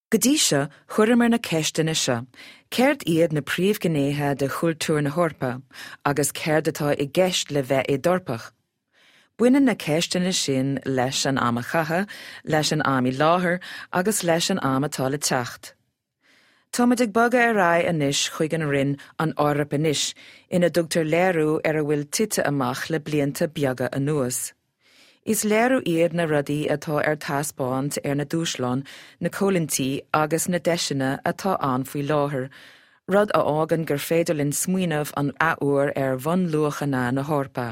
Go dtí seo, chuireamar na ceisteanna seo, céard iad na príomhghnéithe de chultúr na hEorpa, agus céard atá i gceist le bheith i d'Eorpach? Baineann na ceisteanna sin leis an am a caitheadh, leis an am i láthair agus leis an am atá le teacht. Táimid ag bogadh ar aghaidh anois chuig an roinn An Eoraip Anois, ina dtugtar léiriú ar a bhfuil tite amach le blianta beaga anuas. Is léiriú iad na rudaí atá ar taispeáint ar na dúshláin, na coimhlintí agus na deiseanna atá ann faoi láthair, rud a fhágann gur féidir linn smaoineamh an athuair ar bhunluachanna na hEorpa.